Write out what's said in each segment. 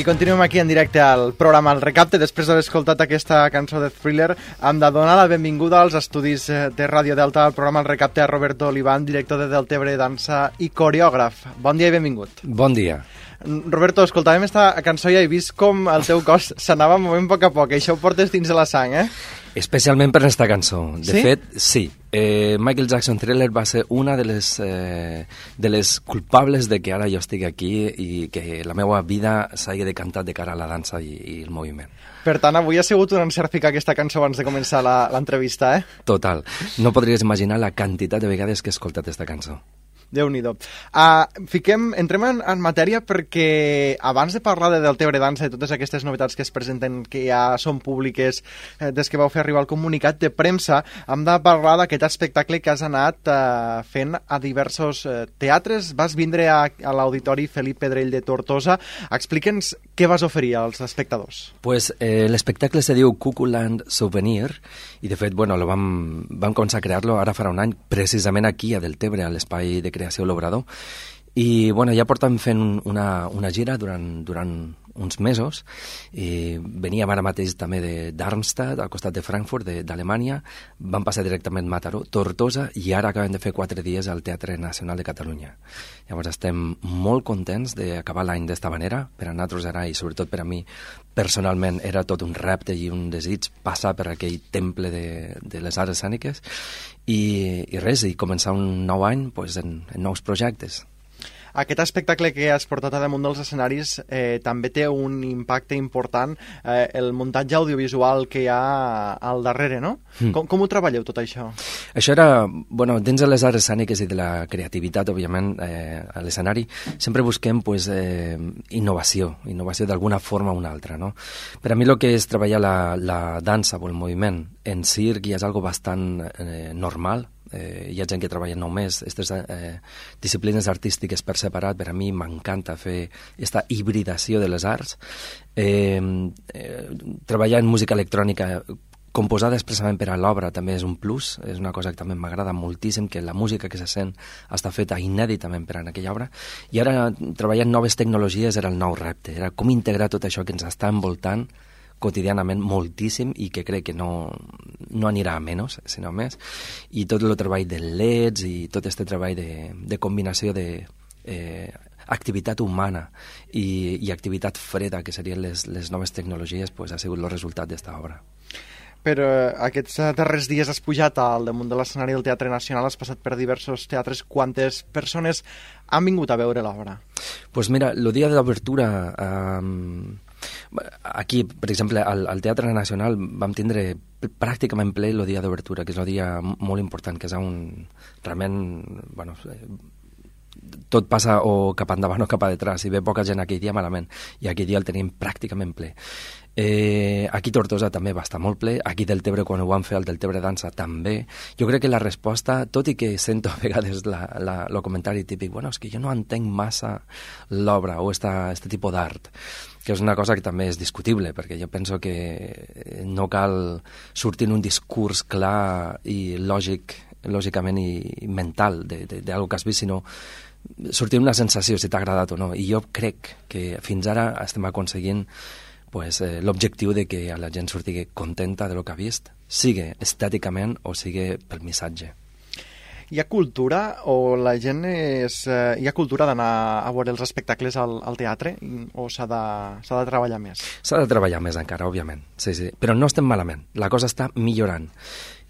I continuem aquí en directe al programa El Recapte. Després d'haver escoltat aquesta cançó de Thriller, hem de donar la benvinguda als estudis de Ràdio Delta al programa El Recapte a Roberto Olivan, director de Deltebre Dansa i coreògraf. Bon dia i benvingut. Bon dia. Roberto, escoltàvem esta cançó i he vist com el teu cos s'anava movent a poc a poc. Això ho portes dins de la sang, eh? Especialment per aquesta cançó. De sí? fet, sí. Michael Jackson Thriller va ser una de les culpables de que ara jo estigui aquí i que la meva vida s'hagi decantat de cara a la dansa i el moviment. Per tant, avui ha sigut un encert ficar aquesta cançó abans de començar l'entrevista, eh? Total. No podries imaginar la quantitat de vegades que he escoltat aquesta cançó. Déu-n'hi-do. Entrem en matèria perquè abans de parlar de Deltebre Dansa i totes aquestes novetats que es presenten, que ja són públiques des que vau fer arribar el comunicat de premsa, hem de parlar d'aquest espectacle que has anat fent a diversos teatres. Vas vindre a l'Auditori Felip Pedrell de Tortosa. Explica'ns què vas oferir als espectadors. Pues l'espectacle se diu Cuckooland Souvenir i de fet, bueno, vam començar a crear-lo ara farà un any, precisament aquí a Deltebre, a l'espai de creació L'Obrador. I bueno, ja portem fent una gira durant uns mesos. I veníem ara mateix també de Darmstadt, al costat de Frankfurt, d'Alemanya. Vam passar directament a Mataró, Tortosa, i ara acabem de fer 4 dies al Teatre Nacional de Catalunya. Llavors estem molt contents d'acabar l'any d'esta manera. Per a nosaltres era, i sobretot per a mi personalment, era tot un repte i un desig passar per aquell temple de les arts escèniques i res, i començar un nou any pues, en nous projectes. Aquest espectacle que has portat a damunt dels escenaris també té un impacte important, el muntatge audiovisual que hi ha al darrere, no? Com ho treballeu, tot això? Això era, bueno, dins de les arts escèniques i de la creativitat, òbviament, a l'escenari, sempre busquem pues, innovació d'alguna forma o una altra, no? Per a mi el que és treballar la dansa o el moviment en circ ja és algo bastant normal. Hi ha gent que treballa només aquestes disciplines artístiques per separat. Per a mi m'encanta fer aquesta hibridació de les arts. Treballar en música electrònica composada expressament per a l'obra també és un plus, és una cosa que també m'agrada moltíssim, que la música que se sent està feta inèditament per a aquella obra, i ara treballar en noves tecnologies era el nou repte, era com integrar tot això que ens està envoltant quotidianament moltíssim i que crec que no anirà a menys, sinó més, i tot el treball de LEDs i tot aquest treball de combinació d'activitat humana i activitat freda, que serien les noves tecnologies, pues, ha sigut el resultat d'esta obra. Però aquests darrers dies has pujat al damunt de l'escenari del Teatre Nacional, has passat per diversos teatres. Quantes persones han vingut a veure l'obra? Pues mira, el dia de l'obertura... Aquí, per exemple, al Teatre Nacional vam tindre pràcticament ple el dia d'obertura, que és un dia molt important, que és realment, bueno, tot passa o cap endavant o cap a detrás, si ve poca gent aquell dia malament, i aquell dia el tenim pràcticament ple. Aquí Tortosa també va estar molt ple, aquí Deltebre, quan ho vam fer al Deltebre Dansa, també. Jo crec que la resposta, tot i que sento a vegades el comentari típic, bueno, és que jo no entenc massa l'obra o este tipus d'art, que és una cosa que també és discutible, perquè jo penso que no cal sortir en un discurs clar i lògicament i mental d'algo que has vist, sinó sortir una sensació, si t'ha agradat o no. I jo crec que fins ara estem aconseguint pues, l'objectiu de que la gent surti contenta de lo que ha vist, sigui estèticament o sigui pel missatge. Hi ha cultura o la gent hi ha cultura d'anar a veure els espectacles al teatre o s'ha de treballar més? S'ha de treballar més encara, òbviament, sí. Però no estem malament, la cosa està millorant.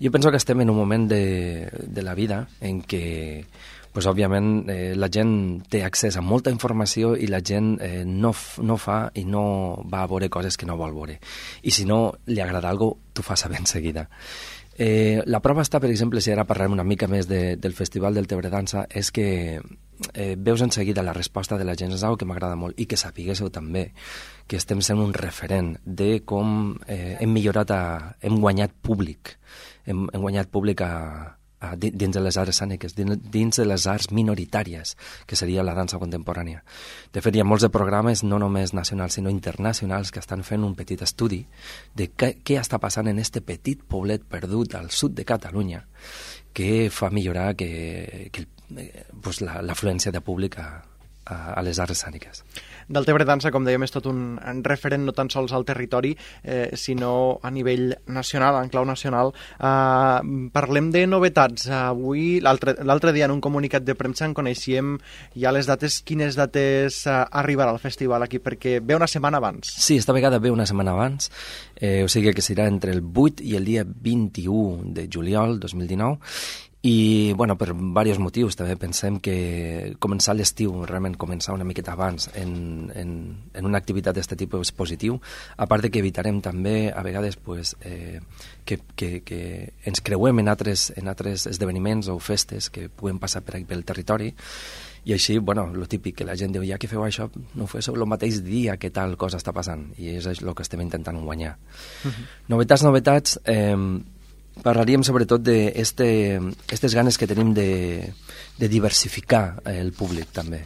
Jo penso que estem en un moment de la vida en què pues, òbviament la gent té accés a molta informació i la gent no fa i no va a veure coses que no vol veure. I si no li agrada alguna cosa, t'ho fa saber en seguida. La prova està, per exemple, si ara parlem una mica més del Festival del Deltebre Dansa, és que veus en seguida la resposta de la gent, és una cosa que m'agrada molt, i que sapiguéssiu també que estem sent un referent de com hem guanyat públic, hem guanyat públic dins de les arts escèniques, dins de les arts minoritàries, que seria la dansa contemporània. De fet, hi ha molts de programes, no només nacionals, sinó internacionals, que estan fent un petit estudi de què està passant en este petit poblet perdut al sud de Catalunya, que fa millorar l'afluència de públic a les arts escèniques. Deltebre Dansa, com dèiem, és tot un referent no tan sols al territori, sinó a nivell nacional, en clau nacional. Parlem de novetats. Avui, l'altre dia, en un comunicat de premsa, en coneixíem ja les dates. Quines dates arribarà al festival aquí? Perquè ve una setmana abans. Sí, esta vegada ve una setmana abans, o sigui que serà entre el 8 i el dia 21 de juliol 2019, i, bueno, per diversos motius. També pensem que començar l'estiu, realment començar una miqueta abans en una activitat d'aquest tipus és positiu, a part de que evitarem també, a vegades, pues, que ens creuem en altres esdeveniments o festes que puguen passar per aquí pel territori, i així, bueno, lo típic, que la gent diu, ja que feu això, no ho feu el mateix dia que tal cosa està passant, i és el que estem intentant guanyar. Novetats, parlaríem sobretot d'aquestes ganes que tenim de diversificar el públic, també.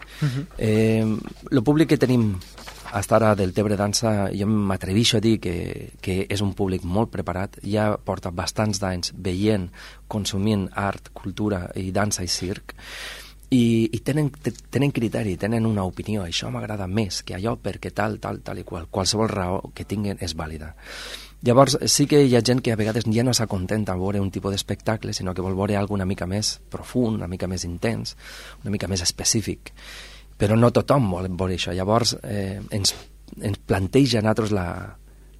El públic que tenim fins ara del Tebre Dansa, jo m'atreveixo a dir que és un públic molt preparat, ja porta bastants d'anys veient, consumint art, cultura i dansa i circ, i tenen criteri, tenen una opinió, això m'agrada més que allò perquè tal i qualsevol raó que tinguin és vàlida. Llavors sí que hi ha gent que a vegades ja no s'acontenta a veure un tipus d'espectacle, sinó que vol veure alguna una mica més profund, una mica més intens, una mica més específic, però no tothom vol veure això. Llavors ens planteja a nosaltres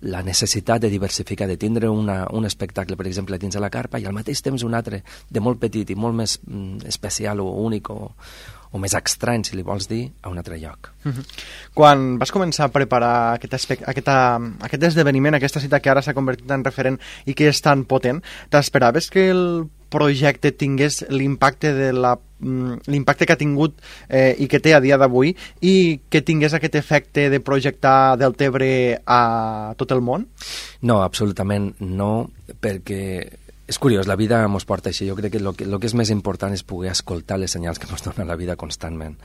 la necessitat de diversificar, de tindre un espectacle, per exemple, dins de la carpa, i al mateix temps un altre de molt petit i molt més especial o únic o més estrany, si li vols dir, a un altre lloc. Quan vas començar a preparar aquest esdeveniment, aquesta cita que ara s'ha convertit en referent i que és tan potent, t'esperaves que el projecte tingués l'impacte que ha tingut i que té a dia d'avui, i que tingués aquest efecte de projectar Deltebre a tot el món? No, absolutament no, perquè és curiós, la vida ens porta així. Jo crec que el que és més important és poder escoltar les senyals que ens dona la vida constantment.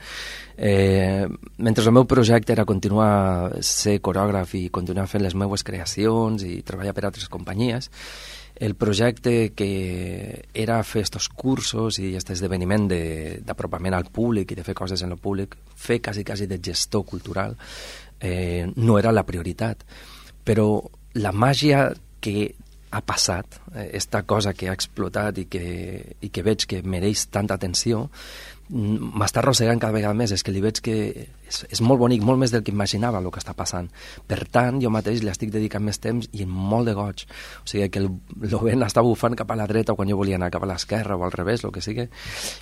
Mentre el meu projecte era continuar ser corògraf i continuar fent les meves creacions i treballar per altres companyies, el projecte que era fer aquests cursos i aquest esdeveniment d'apropament al públic i de fer coses en el públic, fer quasi de gestor cultural, no era la prioritat. Però la màgia que ha passat, esta cosa que ha explotat i que veig que mereix tanta atenció, m'està arrossegant cada vegada més. És que li veig que és molt bonic, molt més del que imaginava el que està passant. Per tant, jo mateix li estic dedicant més temps i amb molt de goig. O sigui que el vent està bufant cap a la dreta quan jo volia anar cap a l'esquerra o al revés, el que sigui,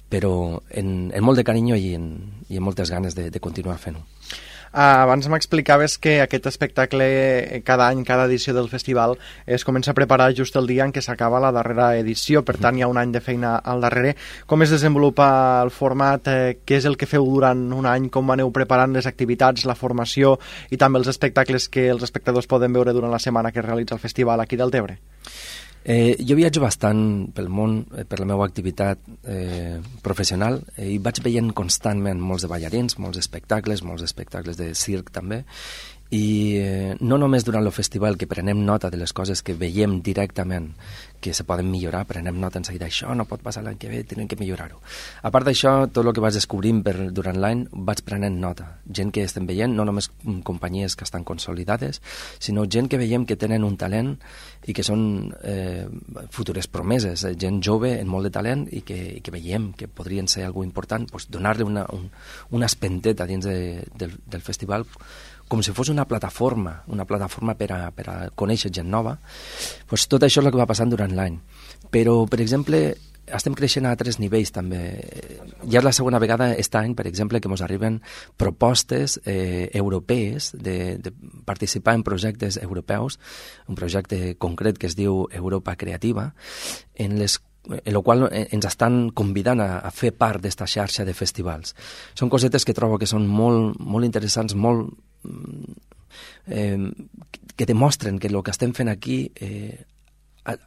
però en molt de carinyo i en moltes ganes de continuar fent-ho. Abans m'explicaves que aquest espectacle, cada any, cada edició del festival, es comença a preparar just el dia en què s'acaba la darrera edició, per tant hi ha un any de feina al darrere. Com es desenvolupa el format? Què és el que feu durant un any? Com aneu preparant les activitats, la formació i també els espectacles que els espectadors poden veure durant la setmana que es realitza el festival aquí del Tebre? Jo viatjo bastant pel món per la meva activitat professional i vaig veient constantment molts de ballarins, molts espectacles de circ també, i no només durant el festival, que prenem nota de les coses que veiem directament que se poden millorar, prenem nota en seguida, això no pot passar l'any que ve, tenim que millorar-ho. A part d'això, tot el que vaig descobrint durant l'any vaig prenent nota. Gent que estem veient, no només companyies que estan consolidades, sinó gent que veiem que tenen un talent i que són futures promeses, gent jove en molt de talent i que veiem que podrien ser algú important, doncs donar-li una espenteta dins del festival, com si fos una plataforma per a conèixer gent nova. Doncs tot això és el que va passant durant l'any. Però, per exemple, estem creixent a altres nivells també. Ja és la segona vegada aquest any, per exemple, que ens arriben propostes europees de participar en projectes europeus, un projecte concret que es diu Europa Creativa, en el qual ens estan convidant a fer part d'esta xarxa de festivals. Són cosetes que trobo que són molt, molt interessants, molt que demostren que el que estem fent aquí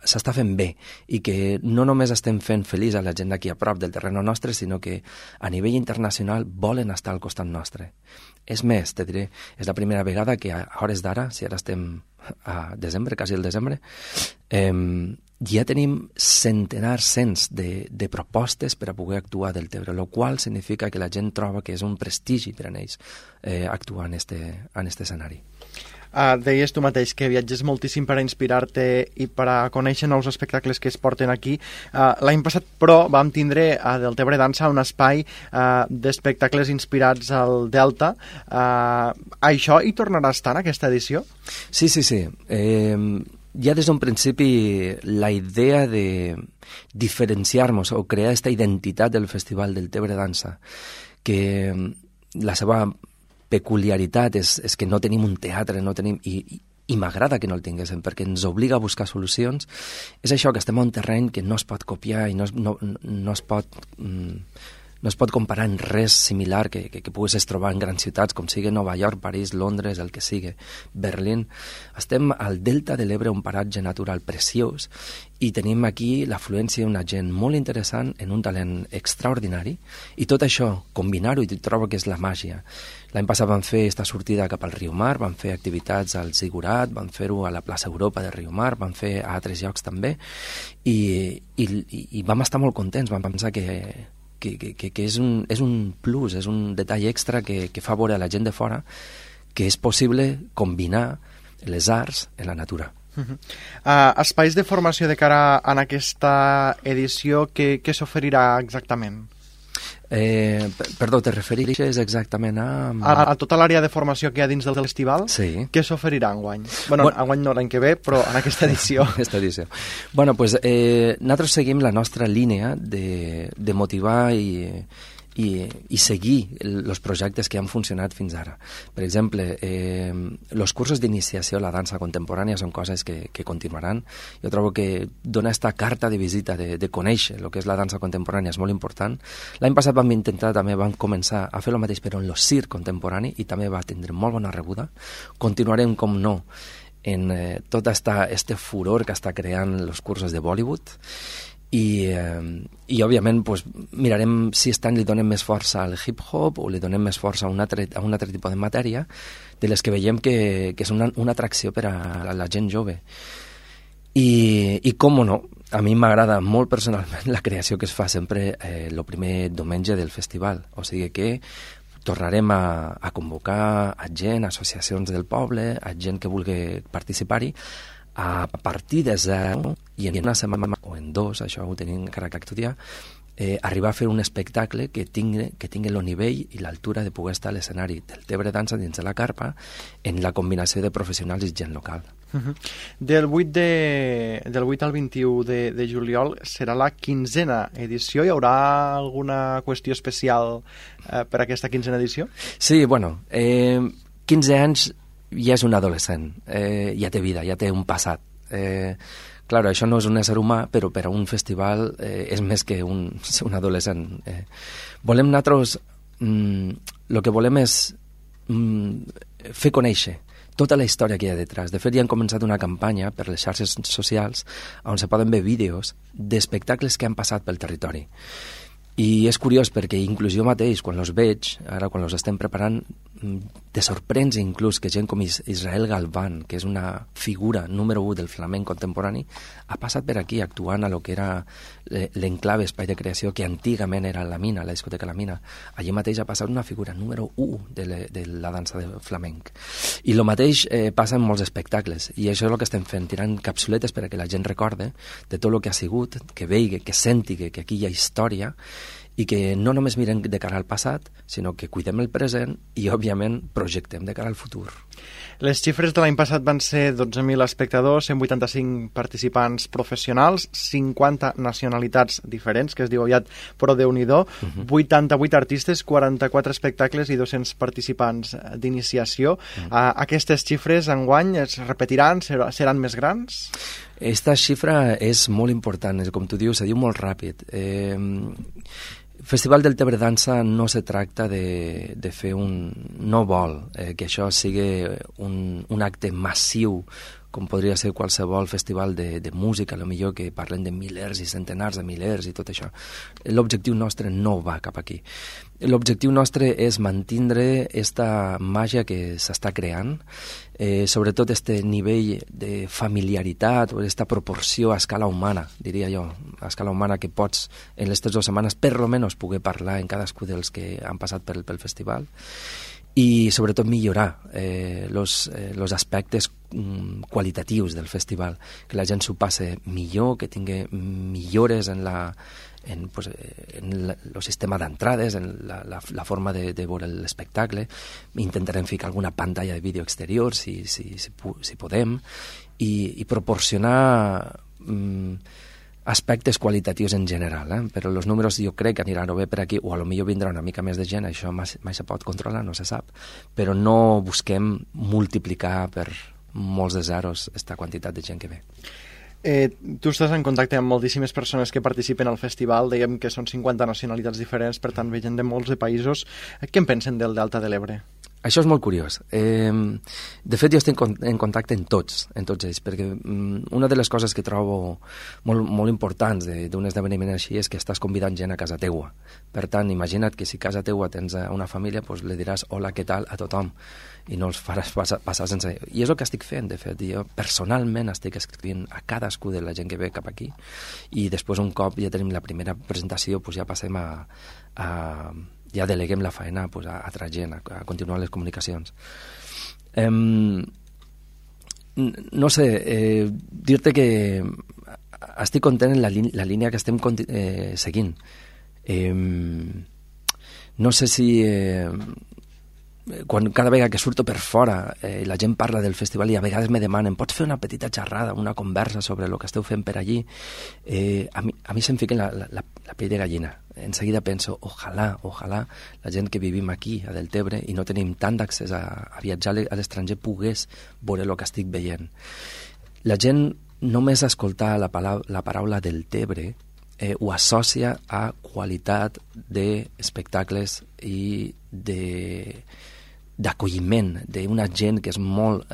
s'està fent bé i que no només estem fent feliç a la gent d'aquí a prop del terreny nostre, sinó que a nivell internacional volen estar al costat nostre. És més, te diré, és la primera vegada que a hores d'ara, si ara estem a desembre, quasi el desembre, ja tenim cents de propostes per a poder actuar del Tebre, el qual significa que la gent troba que és un prestigi per a ells actuar en este escenari. Deies tu mateix que viatges moltíssim per a inspirar-te i per a conèixer nous espectacles que es porten aquí. L'any passat, però, vam tindre a Deltebre Dansa un espai d'espectacles inspirats al Delta. Això hi tornarà a estar en aquesta edició? Sí. Ja des d'un principi la idea de diferenciar-nos o crear aquesta identitat del Festival del Tebre Dansa, que la seva peculiaritat és que no tenim un teatre, i m'agrada que no el tinguéssim, perquè ens obliga a buscar solucions. És això, que estem a un terreny que no es pot copiar i no es pot comparar en res similar que puguis trobar en grans ciutats, com sigui Nova York, París, Londres, el que sigui, Berlín. Estem al Delta de l'Ebre, un paratge natural preciós, i tenim aquí l'afluència d'una gent molt interessant, en un talent extraordinari, i tot això, combinar-ho, i trobo que és la màgia. L'any passat vam fer esta sortida cap al Riu Mar, vam fer activitats al Zigurat, vam fer-ho a la plaça Europa de Riu Mar, vam fer a altres llocs també, i vam estar molt contents, vam pensar que és un plus, és un detall extra que fa veure a la gent de fora que és possible combinar les arts en la natura. Espais de formació de cara a aquesta edició, què s'oferirà exactament? Perdó, te refereixes exactament a tota l'àrea de formació que hi ha dins del festival? Sí. Què s'oferirà enguany? Bueno, enguany no, l'any que ve, però en aquesta edició. Aquesta edició. Bueno, pues, nosaltres seguim la nostra línia de motivar i seguir els projectes que han funcionat fins ara. Per exemple, els cursos d'iniciació a la dansa contemporània són coses que continuaran. Jo trobo que donar aquesta carta de visita, de conèixer el que és la dansa contemporània és molt important. L'any passat vam començar a fer el mateix, però en el circ contemporani, i també va tindre molt bona rebuda. Continuarem, com no, en tot este furor que està creant els cursos de Bollywood, i òbviament pues, mirarem si aquest any li donem més força al hip-hop o li donem més força a un altre tipus de matèria, de les que veiem que és una atracció per a la gent jove. I com no, a mi m'agrada molt personalment la creació que es fa sempre el primer diumenge del festival, o sigui que tornarem a convocar a gent, associacions del poble, a gent que vulgui participar-hi, a partir de zero, i en una setmana o en dos, això ho tenim encara que estudiar, arribar a fer un espectacle que tingui el nivell i l'altura de poder estar a l'escenari del Tebre Dansa dins de la carpa, en la combinació de professionals i gent local. Del 8 al 21 de juliol serà la 15a edició. Hi haurà alguna qüestió especial per a aquesta 15a edició? Sí, bueno, 15 anys ja és un adolescent, ja té vida, ja té un passat. Clar, això no és un ésser humà, però per a un festival és més que un adolescent. Volem nosaltres, el que volem és fer conèixer tota la història que hi ha detrás. De fet, ja han començat una campanya per les xarxes socials on se poden veure vídeos d'espectacles que han passat pel territori. I és curiós perquè inclús jo mateix, quan els veig, ara quan els estem preparant, te sorprens inclús que gent com Israel Galván, que és una figura número 1 del flamenc contemporani, ha passat per aquí actuant a lo que era l'enclave espai de creació que antigament era la Mina, la discoteca La Mina. Allí mateix ha passat una figura número 1 de la dansa del flamenc. I el mateix passa en molts espectacles, i això és el que estem fent, tirant capsuletes per a que la gent recorde de tot el que ha sigut, que vegi, que senti que aquí hi ha història, i que no només mirem de cara al passat, sinó que cuidem el present i, òbviament, projectem de cara al futur. Les xifres de l'any passat van ser 12.000 espectadors, 185 participants professionals, 50 nacionalitats diferents, que es diu aviat, però Déu-n'hi-do, 88 artistes, 44 espectacles i 200 participants d'iniciació. Aquestes xifres enguany es repetiran, seran més grans? Esta xifra és molt important, com tu dius, se diu molt ràpid. Festival del Tebre Dansa no se tracta de fer no vol que això sigui un acte massiu com podria ser qualsevol festival de música, millor que parlen de milers i centenars de milers i tot això. L'objectiu nostre no va cap aquí. L'objectiu nostre és mantindre esta màgia que s'està creant, sobretot este nivell de familiaritat o aquesta proporció a escala humana, diria jo, a escala humana que pots en les 3 setmanes per lo menos poder parlar en cadascú dels que han passat pel festival, i sobretot millorar los aspectes qualitatius del festival, que la gent s'ho passe millor, que tingui millores en el sistema d'entrades, en la forma de veure l'espectacle. Intentarem ficar alguna pantalla de vídeo exterior si podem, i proporcionar aspectes qualitatius en general, però els números jo crec que aniran bé per aquí, o a lo millor vindrà una mica més de gent, això mai se pot controlar, no se sap, però no busquem multiplicar per molts de zeros aquesta quantitat de gent que ve. Tu estàs en contacte amb moltíssimes persones que participen al festival, dèiem que són 50 nacionalitats diferents, per tant ve gent de molts de països. Què en pensen del Delta de l'Ebre? Això és molt curiós. De fet, jo estic en contacte amb tots ells, perquè una de les coses que trobo molt importants d'un esdeveniment així és que estàs convidant gent a casa teua. Per tant, imagina't que si a casa teua tens una família, doncs li diràs hola, què tal a tothom, i no els faràs passar sense... I és el que estic fent, de fet. Jo personalment estic escrivint a cadascú de la gent que ve cap aquí, i després un cop ja tenim la primera presentació, doncs ja passem ja deleguem la feina a altra gent, a continuar les comunicacions. No sé, dir-te que estic content en la línia que estem seguint. No sé si... cada vegada que surto per fora la gent parla del festival i a vegades me demanen, pots fer una petita xerrada, una conversa sobre el que esteu fent per allí? A mi se'm fica la pell de gallina. En seguida penso, ojalà la gent que vivim aquí a Deltebre i no tenim tant d'accés a viatjar a l'estranger pogués veure el que estic veient. La gent només escoltar la paraula Deltebre ho associa a qualitat d'espectacles i d'acolliment d'una gent que és molt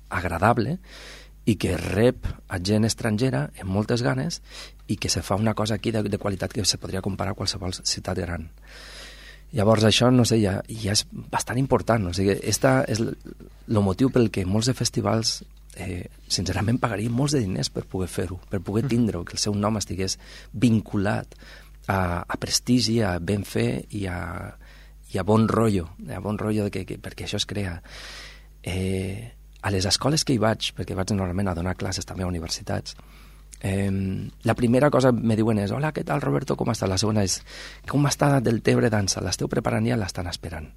agradable i que rep a gent estrangera amb moltes ganes i que se fa una cosa aquí de qualitat que se podria comparar a qualsevol ciutat gran. Llavors això, no sé, ja és bastant important. O sigui, este és el motiu pel que molts de festivals sincerament pagarien molts de diners per poder fer-ho, per poder tindre-ho, que el seu nom estigués vinculat a prestigi, a ben fer i a bon rotllo, perquè això es crea. A les escoles que hi vaig, perquè vaig normalment a donar classes també a universitats, la primera cosa me diuen és hola, què tal Roberto, com està? La segona és com està Deltebre Dansa? L'esteu preparant ja? L'estan esperant.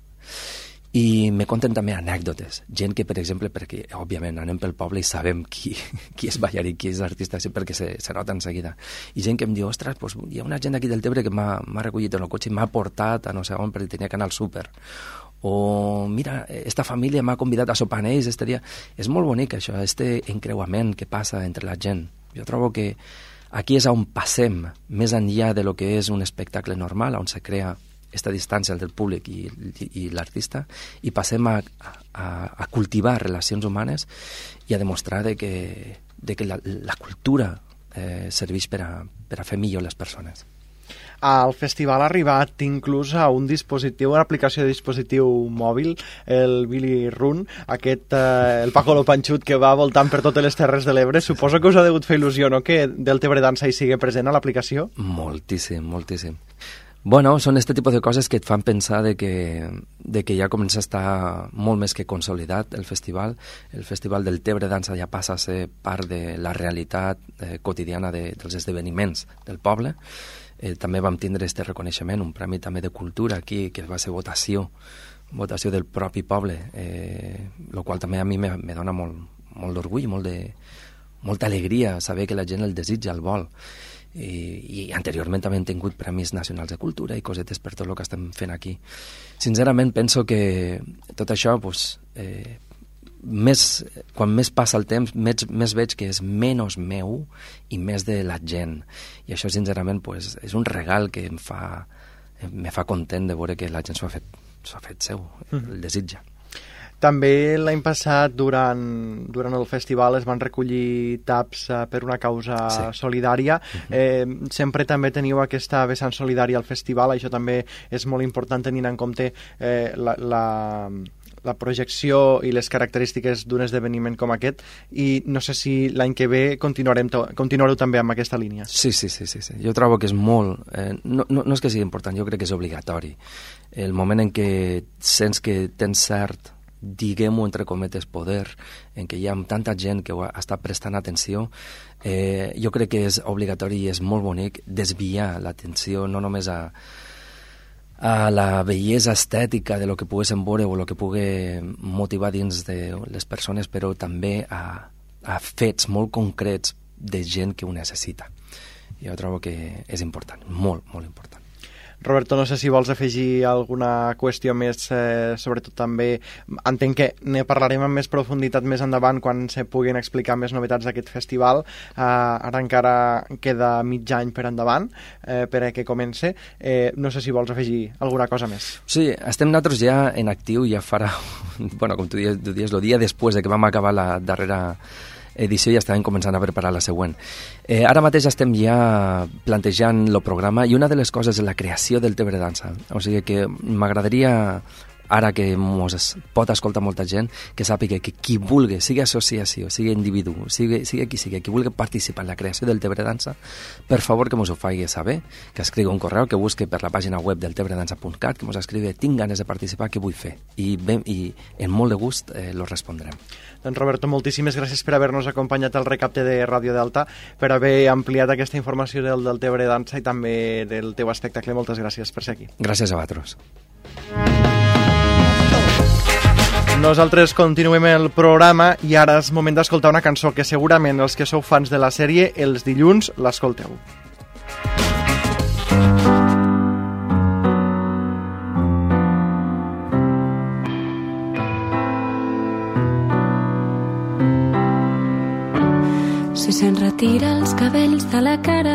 I me conten també anècdotes. Gent que, per exemple, perquè òbviament anem pel poble i sabem qui és ballarí, qui és artista, perquè se nota en seguida. I gent que em diu, ostres, doncs, hi ha una gent aquí del Tebre que m'ha recollit en el cotxe i m'ha portat a no sé on perquè tenia que anar al súper. O, mira, esta família m'ha convidat a sopar amb ells. És molt bonic això, este encreuament que passa entre la gent. Jo trobo que aquí és on passem més enllà de lo que és un espectacle normal, on se crea aquesta distància del públic i l'artista, i passem a cultivar relacions humanes i a demostrar que la cultura serveix per a fer millor les persones. Al festival ha arribat inclús a un dispositiu, una aplicació de dispositiu mòbil, el Billy Run, el Paco Lo Panxut que va voltant per totes les Terres de l'Ebre. Suposo que us ha degut fer il·lusió, no?, que Deltebre Dansa hi sigui present a l'aplicació? Moltíssim, moltíssim. Bueno, són aquest tipus de coses que et fan pensar de que ja comença a estar molt més que consolidat el festival. El Festival del Tebre Dansa ja passa a ser part de la realitat quotidiana dels esdeveniments del poble. També vam tindre aquest reconeixement, un premi també de cultura aquí, que va ser votació del propi poble, el qual també a mi me dona molt d'orgull, molta alegria saber que la gent el desitja, el vol. I anteriorment també hem tingut premis nacionals de cultura i cosetes per tot el que estem fent aquí. Sincerament penso que tot això, quan més passa el temps, més veig que és menys meu i més de la gent. I això, sincerament, és un regal que me fa content de veure que la gent s'ho ha fet seu, el desitja. També l'any passat, durant el festival, es van recollir taps per una causa solidària. Sempre també teniu aquesta vessant solidària al festival, això també és molt important tenint en compte la projecció i les característiques d'un esdeveniment com aquest, i no sé si l'any que ve continuareu també amb aquesta línia. Sí. Jo trobo que és molt... no és que sigui important, jo crec que és obligatori. El moment en què sents que tens cert, diguem-ho entre cometes, poder, en què hi ha tanta gent que està prestant atenció, jo crec que és obligatori i és molt bonic desviar l'atenció no només a la bellesa estètica de lo que poguéssim veure o lo que pugui motivar dins de les persones, però també a fets molt concrets de gent que ho necessita. Jo trobo que és important, molt, molt important. Roberto, no sé si vols afegir alguna qüestió més, sobretot també, entenc que ne parlarem amb més profunditat més endavant quan se puguin explicar més novetats d'aquest festival. Ara encara queda mig any per endavant per a que comence. No sé si vols afegir alguna cosa més. Sí, estem nosaltres ja en actiu, ja farà, bueno, com tu dius, el dia després de que vam acabar la darrera edició, ja estàvem començant a preparar la següent. Ara mateix estem ja plantejant el programa i una de les coses és la creació del Tebre Dansa. O sigui que m'agradaria, ara que mos pot escoltar molta gent, que sàpiga que qui vulgui, sigui associació, sigui individu, sigui qui vulgui participar en la creació del Tebre Dansa, per favor que mos ho faci saber, que escrigui un correu, que busqui per la pàgina web del tebredansa.cat, que mos escrigui tinc ganes de participar, què vull fer? I en molt de gust lo respondrem. Doncs Roberto, moltíssimes gràcies per haver-nos acompanyat al recapte de Ràdio Delta, per haver ampliat aquesta informació del Tebre Dansa i també del teu espectacle. Moltes gràcies per ser aquí. Gràcies a vosaltres. Nosaltres continuem el programa i ara és moment d'escoltar una cançó que segurament els que sou fans de la sèrie els dilluns l'escolteu. Si se'n retira els cabells de la cara